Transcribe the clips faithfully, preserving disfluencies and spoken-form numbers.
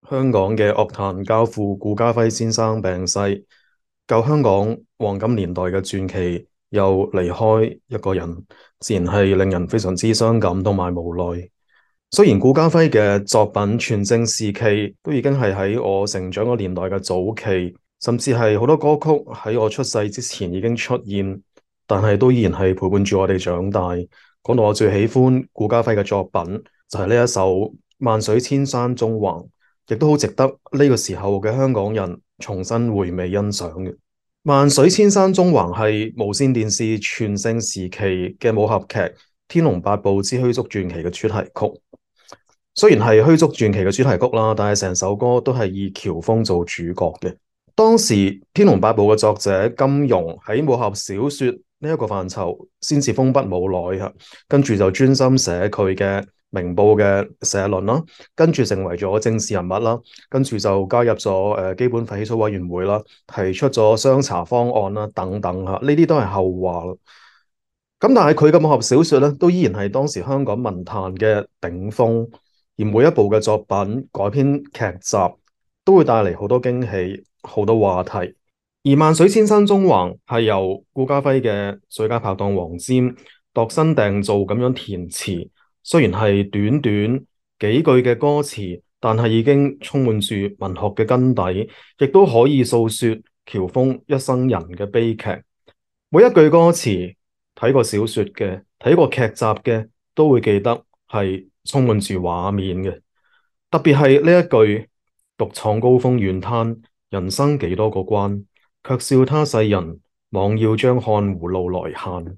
香港嘅樂壇教父顧嘉輝先生病逝，舊香港黃金年代嘅傳奇又離開一個人，自然係令人非常之傷感同埋無奈。雖然顧嘉輝嘅作品全盛時期都已經係喺我成長嘅年代嘅早期，甚至係好多歌曲喺我出世之前已經出現，但係都依然係陪伴住我哋長大。講到我最喜歡顧嘉輝嘅作品，就係呢一首《萬水千山縱橫》。亦都好值得呢個時候嘅香港人重新回味欣賞嘅。《萬水千山縱橫》係無線電視全盛時期嘅武俠劇《天龍八部之虛竹傳奇》嘅主題曲。雖然係虛竹傳奇嘅主題曲啦，但係成首歌都係以喬峰做主角嘅。當時《天龍八部》嘅作者金庸喺武俠小說呢一個範疇先至封筆冇耐吓，跟住就專心寫佢嘅明報嘅社論啦，跟住成為咗政治人物啦，跟住就加入咗誒基本法起草委員會啦，提出咗雙查方案啦，等等吓，呢啲都係後話啦。咁但係佢嘅武俠小說咧，都依然係當時香港文壇嘅頂峰，而每一部嘅作品改編劇集都會帶嚟好多驚喜，好多話題。而《萬水千山縱橫》係由顧嘉輝嘅最佳拍檔黃霑度身訂造咁樣填詞。雖然係短短幾句嘅歌詞，但係已經充滿住文學嘅根底，亦都可以訴說喬峰一生人嘅悲劇。每一句歌詞，睇過小說嘅、睇過劇集嘅，都會記得係充滿住畫面嘅。特別係呢一句：獨闖高峰遠灘，人生幾多個關，卻笑他世人妄要將看湖路來限。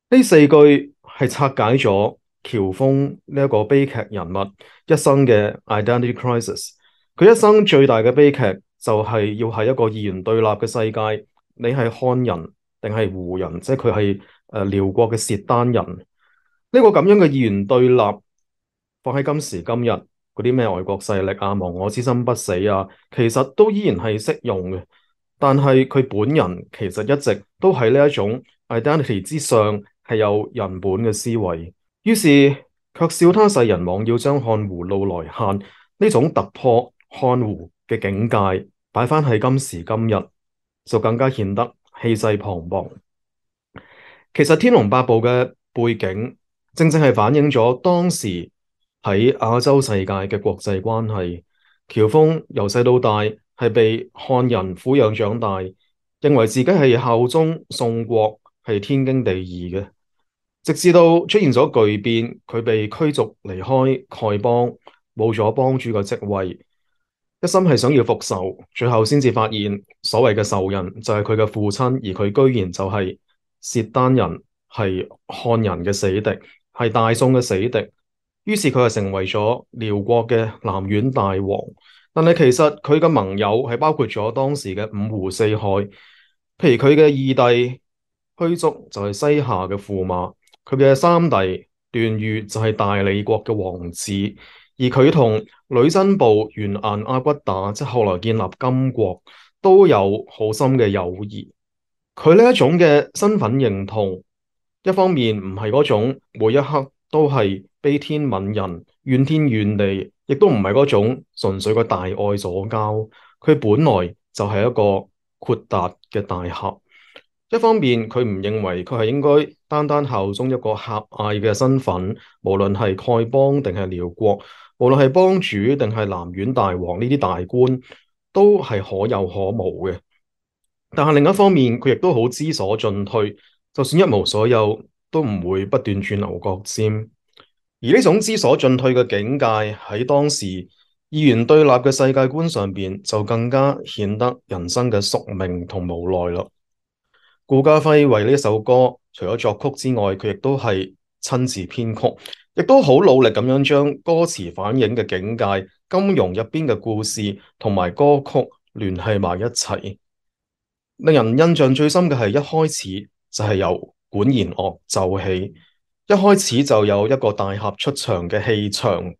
呢四句係拆解咗喬峰呢一個悲劇人物一生嘅 identity crisis。佢一生最大嘅悲劇就係要喺一個二元對立嘅世界，你係漢人定係胡人，即係佢係誒遼國嘅契丹人。呢、這個咁樣嘅二元對立放喺今時今日，嗰啲咩外國勢力啊、亡我之心不死啊，其實都依然係適用嘅。但係佢本人其實一直都喺呢一種 identity 之上，係有人本嘅思維。於是卻笑他世人妄要將看湖路來限，呢種突破看湖嘅境界擺翻喺今時今日，就更加顯得氣勢磅礴。其實《天龍八部》嘅背景正正係反映咗當時喺亞洲世界嘅國際關係。喬峰由細到大係被漢人撫養長大，認為自己係效忠宋國，係天經地義嘅。直至到出現咗巨變，佢被驅逐離開丐幫，冇咗幫主嘅職位，一心係想要復仇，最後先至發現所謂嘅仇人就係佢嘅父親，而佢居然就係契丹人，係漢人嘅死敵，係大宋嘅死敵。於是佢係成為咗遼國嘅南院大王。但係其實佢嘅盟友係包括咗當時嘅五湖四海，譬如佢嘅二弟虛竹就係西夏嘅駙馬。佢嘅三弟段譽就係大理國嘅王子，而佢同女真部完顏阿骨打，即係後來建立金國，都有好深嘅友誼。佢呢一種嘅身份認同，一方面唔係嗰種每一刻都係悲天憫人、怨天怨地，亦都唔係嗰種純粹嘅大愛左膠。佢本來就係一個豁達嘅大俠。一方面佢唔認為佢係應該單單效忠一個狹隘嘅身份，無論係丐幫定係遼國，無論係幫主定係南院大王，呢啲大官都係可有可無嘅。但係另一方面，佢亦都好知所進退，就算一無所有，都唔會不斷鑽牛角尖。而呢種知所進退嘅境界喺當時二元對立嘅世界觀上邊，就更加顯得人生嘅宿命同無奈啦。顧嘉輝為呢一首歌，除咗作曲之外，佢亦都係親自編曲，亦都好努力咁樣將歌詞反映嘅境界、金庸入邊嘅故事同埋歌曲聯繫埋一齊。令人印象最深嘅係一開始就係由管弦樂奏起，一開始就有一個大俠出場嘅氣場，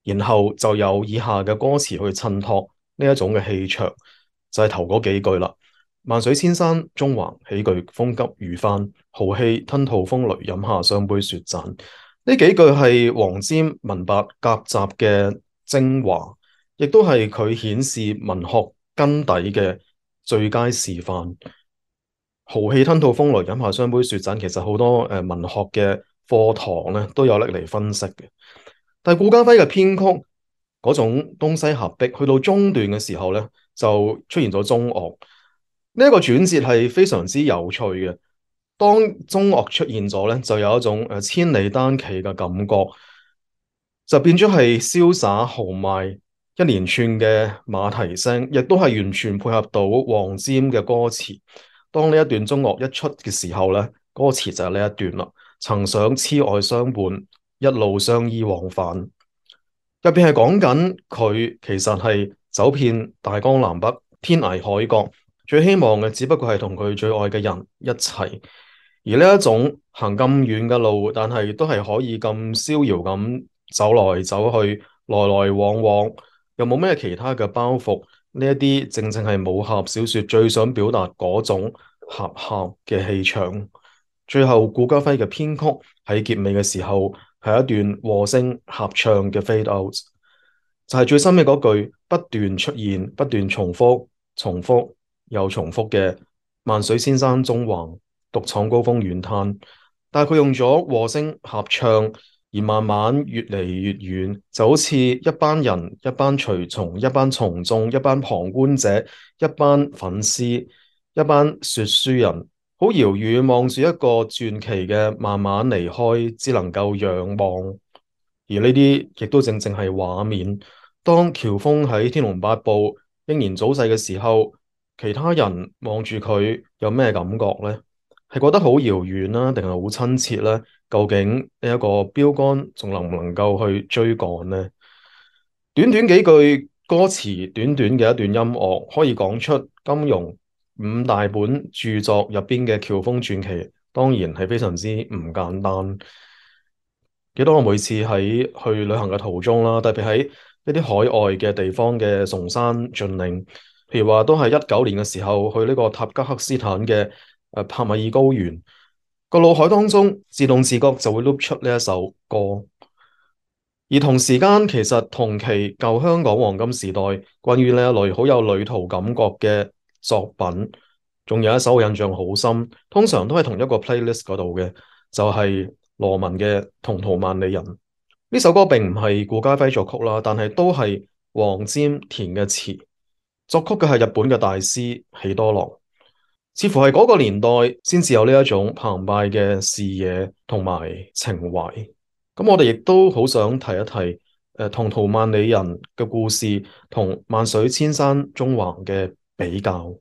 然後就有以下嘅歌詞去襯托呢一種嘅氣場，就係頭嗰幾句啦。萬水千山縱橫，豈懼風急雨翻，豪氣吞吐風雷，飲下雙杯雪盞。呢幾句係黃霑文白夾雜嘅精華，亦都係佢顯示文學根底嘅最佳示範。豪氣吞吐風來，飲下雙杯雪盞，其實好多誒、呃、文學嘅課堂咧都有拎嚟分析嘅。但係顧嘉輝嘅編曲嗰種東西合璧，去到中段嘅時候咧，就出現咗中樂。呢、這、一個轉折係非常之有趣嘅。當中樂出現咗咧，就有一種誒千里單騎嘅感覺，就變咗係瀟灑豪邁，一連串嘅馬蹄聲，亦都係完全配合到黃霑嘅歌詞。當呢一段中樂一出嘅時候咧，歌詞就係呢一段啦。曾想痴愛相伴，一路相依往返。入邊係講緊佢其實係走遍大江南北，天涯海角，最希望嘅只不過係同佢最愛嘅人一齊。而呢一種行咁遠嘅路，但係都係可以咁逍遙咁走來走去，來來往往，又冇咩其他嘅包袱。呢一啲正正係武俠小說最想表達嗰種俠客嘅氣場。最後顧嘉輝嘅編曲喺結尾嘅時候係一段和聲合唱嘅 fade out，就係最深嘅嗰句不斷出現、不斷重複、重複又重複嘅萬水千山縱橫，獨闖高峰遠灘。但係佢用咗和聲合唱，而慢慢越嚟越遠，就好似一班人、一班隨從、一班從眾、一班旁觀者、一班粉絲、一班說書人，好遙遠望住一個傳奇嘅慢慢離開，只能夠仰望。而呢啲亦都正正係畫面。當喬峰喺《天龍八部》英年早逝嘅時候，其他人望住佢有咩感覺呢？係覺得好遙遠啦，定係好親切呢？究竟呢一個標杆仲能唔能夠去追趕呢？短短幾句歌詞，短短嘅一段音樂，可以講出金庸五大本著作入邊嘅喬峰傳奇，當然係非常之唔簡單。記得我每次喺去旅行嘅途中啦，特別喺一啲海外嘅地方嘅崇山峻嶺，譬如話都係一九年嘅時候去呢個塔吉克斯坦嘅誒帕米爾高原，個腦海當中自動自覺就會碌出呢一首歌。而同時間，其實同期舊香港黃金時代關於呢一類好有旅途感覺嘅作品，仲有一首我印象好深，通常都係同一個 playlist 嗰度嘅，就係羅文嘅《同途萬里人》。呢首歌並唔係顧嘉輝作曲啦，但係都係黃霑填嘅詞，作曲嘅係日本嘅大師喜多郎。似乎係嗰個年代先至有呢一種澎湃嘅視野同埋情懷。咁我哋亦都好想提一提誒《同途萬里人》嘅故事同萬水千山縱橫嘅比較。《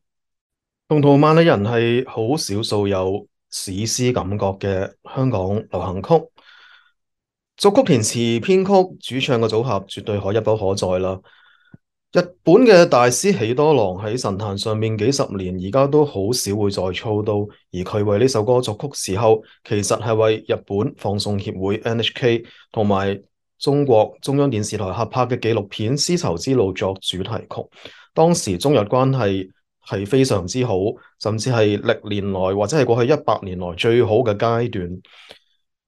同途萬里人》係好少數有史詩感覺嘅香港流行曲，作曲填詞編曲主唱嘅組合絕對可一不可再啦。日本嘅大師喜多郎喺神壇上面幾十年，而家都好少會再操刀。而佢為呢首歌作曲時候，其實係為日本放送協會 N H K 同埋中國中央電視台合拍嘅紀錄片《絲綢之路》作主題曲。當時中日關係係非常之好，甚至係歷年來或者係過去一百年來最好嘅階段。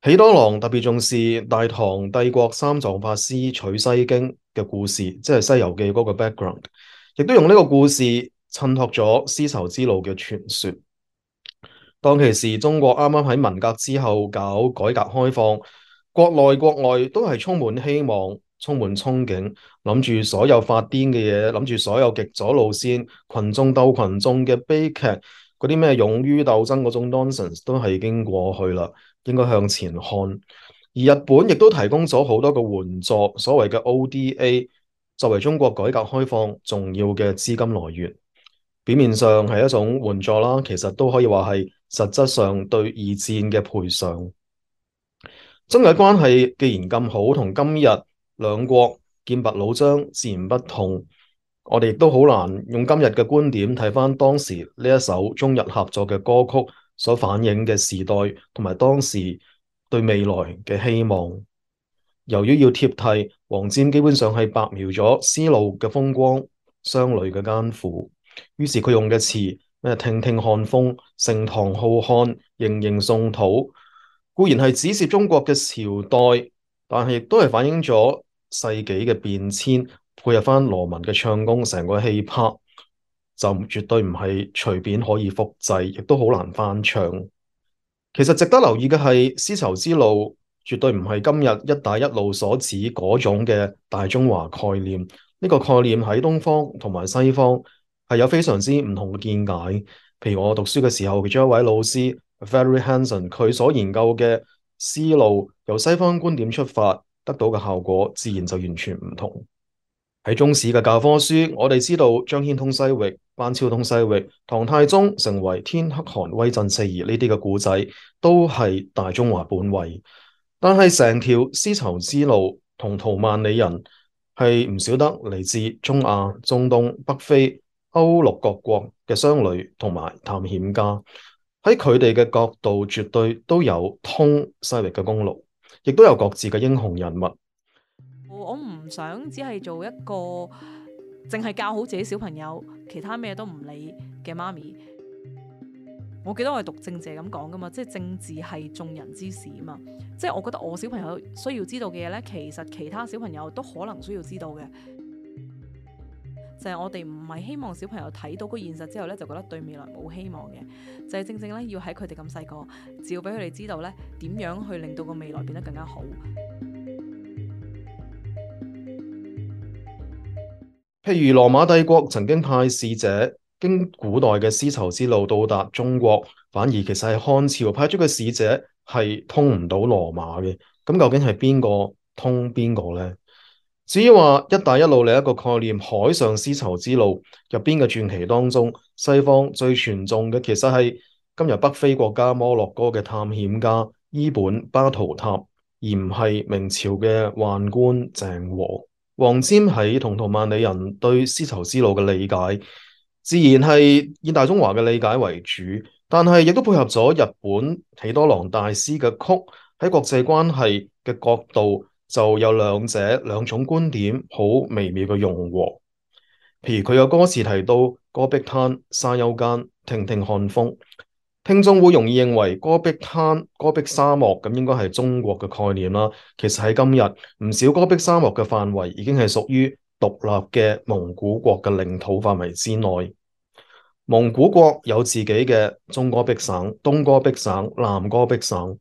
喜多郎特別重視大唐帝國三藏法師取西經嘅故事，即係《西遊記》嗰個 background，亦都用呢個故事襯托咗絲綢之路嘅傳說。當其時中國啱啱喺文革之後搞改革開放，國內國外都係充滿希望、充滿憧憬，諗住所有發癲嘅嘢，諗住所有極左路線、群眾鬥群眾嘅悲劇，嗰啲咩勇於鬥爭嗰種 nonsense 都係已經過去啦。應該向前看，而日本亦都提供咗好多個援助，所謂嘅 O D A， 作為中國改革開放重要嘅資金來源。表面上係一種援助啦，其實都可以話係實質上對二戰嘅賠償。中日關係既然咁好，同今日兩國劍拔弩張自然不同。我哋亦都好難用今日嘅觀點睇返當時呢一首中日合作嘅歌曲所反映嘅時代同埋當時對未來嘅希望。由於要貼題，黃霑基本上係白描咗絲路嘅風光、商旅嘅艱苦，於是佢用嘅詞咩聽聽漢風、盛唐浩漢、盈盈宋土，固然係指涉中國嘅朝代，但係亦都係反映咗世紀嘅變遷，配合翻羅文嘅唱功，成個氣魄就絕對唔係隨便可以複製，亦都好難翻唱。其實值得留意嘅係，絲綢之路絕對唔係今日一帶一路所指嗰種嘅大中華概念。呢個概念喺東方同埋西方係有非常之唔同嘅見解。譬如我讀書嘅時候，其中一位老師 Valerie Hanson，佢所研究嘅思路由西方觀點出發，得到嘅效果自然就完全唔同。喺中史嘅教科書，我哋知道張騫通西域、班超通西域、唐太宗成為天可汗威震四夷呢啲嘅故仔，都係大中華本位。但係成條絲綢之路同圖萬里人係唔少得嚟自中亞、中東、北非、歐陸各國嘅商旅同埋探險家，喺佢哋嘅角度，絕對都有通西域嘅功勞，亦都有各自嘅英雄人物。我唔想只係做一個淨係教好自己小朋友，其他咩都唔理嘅媽咪。我記得我係讀政治咁講噶嘛，即係政治係眾人之事啊嘛。即係我覺得我小朋友需要知道嘅嘢呢，其實其他小朋友都可能需要知道嘅。就係我哋唔係希望小朋友睇到個現實之後呢，就覺得對未來冇希望嘅。就係正正呢，要喺佢哋咁細個，只要俾佢哋知道呢，點樣去令到個未來變得更加好。譬如羅馬帝國曾經派使者經古代嘅絲綢之路到達中國，反而其實係漢朝派出嘅使者係通唔到羅馬嘅。咁究竟係邊個通邊個呢？至於話一帶一路另一個概念，海上絲綢之路入邊嘅傳奇當中，西方最傳頌嘅其實係今日北非國家摩洛哥嘅探險家伊本巴圖塔，而唔係明朝嘅宦官鄭和。黃霑喺同圖萬里人對絲綢之路嘅理解，自然係以大中華嘅理解為主，但係亦都配合咗日本喜多郎大師嘅曲，喺國際關係嘅角度就有兩者兩種觀點好微妙嘅融合。譬如佢有歌詞提到戈壁灘沙丘間聽聽看風，聽眾會容易認為戈壁灘、戈壁沙漠咁應該係中國嘅概念啦。其實喺今日唔少戈壁沙漠嘅範圍已經係屬於獨立嘅蒙古國嘅領土範圍之內。蒙古國有自己嘅中戈壁省、東戈壁省、南戈壁省。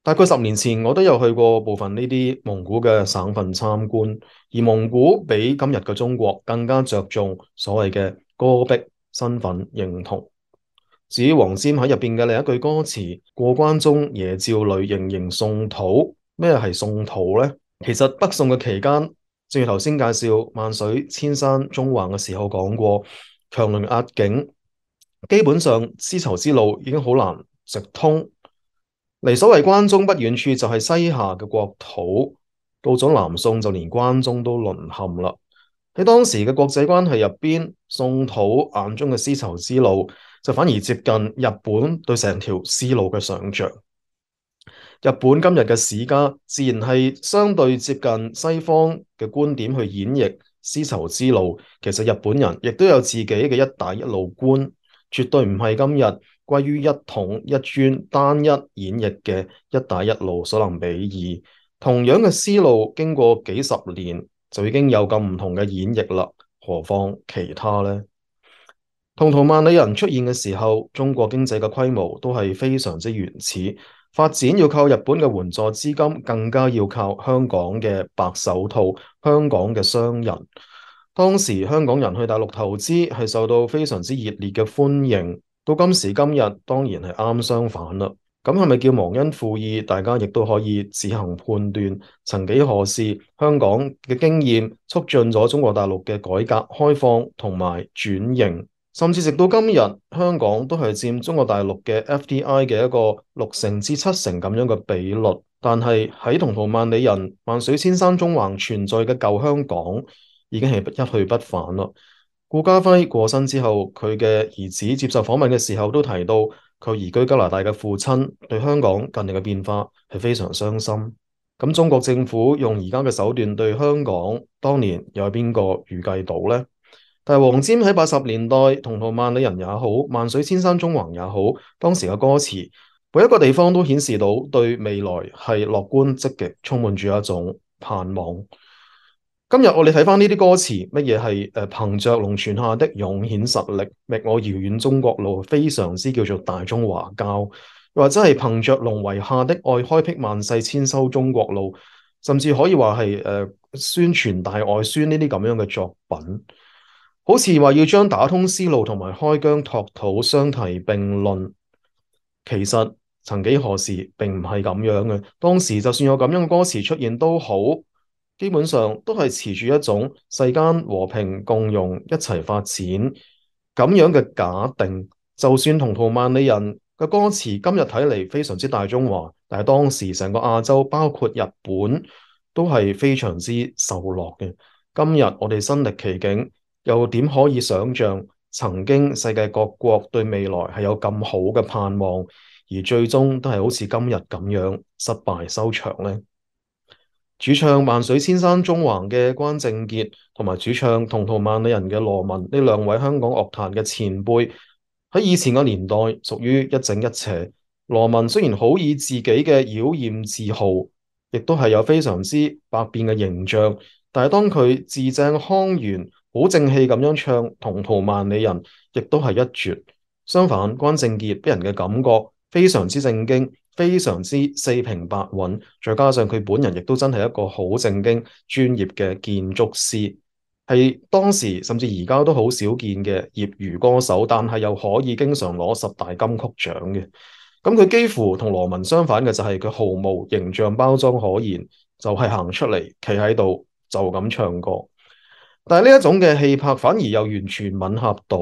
大概十年前我都有去過部分呢啲蒙古嘅省份參觀，而蒙古比今日嘅中國更加着重所謂嘅戈壁身份認同。至於黃霑喺入邊嘅另一句歌詞，過關中夜照裏仍仍宋土，咩係宋土呢？其實北宋嘅期間，正如頭先介紹萬水千山縱橫嘅時候講過，強鄰壓境，基本上絲綢之路已經好難直通。離所謂關中不遠處就係西夏嘅國土，到咗南宋就連關中都淪陷啦。喺當時嘅國際關係入邊，宋土眼中嘅絲綢之路就反而接近日本對成條絲路嘅想象。日本今日嘅史家自然係相對接近西方嘅觀點去演繹絲綢之路。其實日本人亦都有自己嘅一帶一路觀，絕對唔係今日歸於一統一專單一演繹嘅一帶一路所能比擬。同樣嘅思路經過幾十年就已經有咁唔同嘅演繹啦，何況其他呢？同圖萬里人出現嘅時候，中國經濟嘅規模都係非常之原始，發展要靠日本嘅援助資金，更加要靠香港嘅白手套、香港嘅商人。當時香港人去大陸投資係受到非常之熱烈嘅歡迎，到今時今日當然係啱相反啦。咁係咪叫忘恩負義？大家亦都可以自行判斷。曾幾何時，香港嘅經驗促進咗中國大陸嘅改革開放同埋轉型，甚至直到今日，香港都係佔中國大陸嘅 F D I 嘅一個六成至七成咁樣嘅比率。但係喺同圖萬里人、萬水千山縱橫存在嘅舊香港，已經係一去不返啦。顧嘉輝過身之後，佢嘅兒子接受訪問嘅時候都提到，佢移居加拿大嘅父親對香港近年嘅變化係非常傷心。咁中國政府用而家嘅手段對香港，當年又係邊個預計到呢？但係黃霑喺八十年代，同圖萬里人也好，萬水千山縱橫也好，當時嘅歌詞每一個地方都顯示到對未來係樂觀積極，充滿住一種盼望。今日我哋睇翻呢啲歌詞，乜嘢係誒憑着龍泉下的勇顯實力，覓我遙遠中國路，非常之叫做大中華交，或者係憑着龍圍下的愛，開闢萬世千秋中國路，甚至可以話係誒宣傳大外宣呢啲咁樣嘅作品，好似話要將打通絲路同埋開疆拓土相提並論，其實曾幾何時並唔係咁樣嘅。當時就算有咁樣嘅歌詞出現都好，基本上都係持住一種世間和平共融一齊發展咁樣嘅假定。就算同圖萬里人嘅歌詞今日睇嚟非常之大中華，但係當時成個亞洲包括日本都係非常之受落嘅。今日我哋身歷其境，又點可以想象曾經世界各國對未來係有咁好嘅盼望，而最終都係好似今日咁樣失敗收場呢？主唱萬水千山縱橫嘅關正傑，同埋主唱同途萬里人嘅羅文，呢兩位香港樂壇嘅前輩，喺以前嘅年代屬於一正一邪。羅文雖然好以自己嘅妖豔自豪，亦都係有非常之百變嘅形象，但係當佢字正腔圓、好正氣咁樣唱同途萬里人，亦都係一絕。相反，關正傑俾人嘅感覺非常之正經，非常之四平八穩，再加上佢本人亦都真係一個好正經專業嘅建築師，係當時甚至而家都好少見嘅業餘歌手，但係又可以經常攞十大金曲獎嘅。咁佢幾乎同羅文相反嘅就係佢毫無形象包裝可言，就係行出嚟企喺度就咁唱歌。但係呢一種嘅氣魄反而又完全吻合到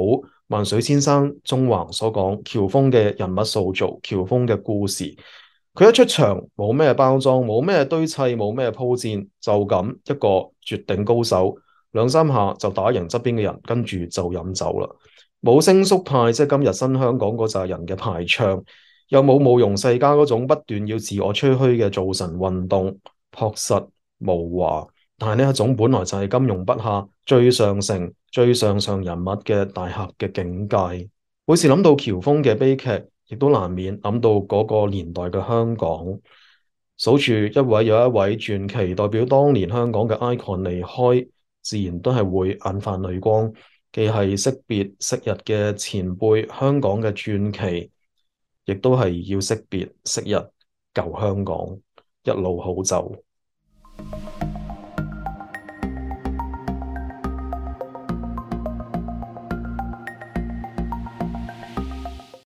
萬水千山縱橫所講喬峰嘅人物塑造，喬峰嘅故事。佢一出場冇咩包裝，冇咩堆砌，冇咩鋪墊，就咁一個絕頂高手，兩三下就打贏側邊嘅人，跟住就飲酒啦。冇聲縮派，即係今日新香港嗰扎人嘅排唱，又冇慕容世家嗰種不斷要自我吹噓嘅造神運動，樸實無華。但係呢一種本來就係金庸筆下最上乘、最上上人物嘅大俠嘅境界。每次諗到喬峰嘅悲劇，亦都難免諗到嗰個年代嘅香港。數住一位又一位傳奇代表當年香港嘅 icon 離開，自然都係會眼泛淚光。既係惜別昔日嘅前輩，香港嘅傳奇，亦都係要惜別昔日舊香港。一路好走。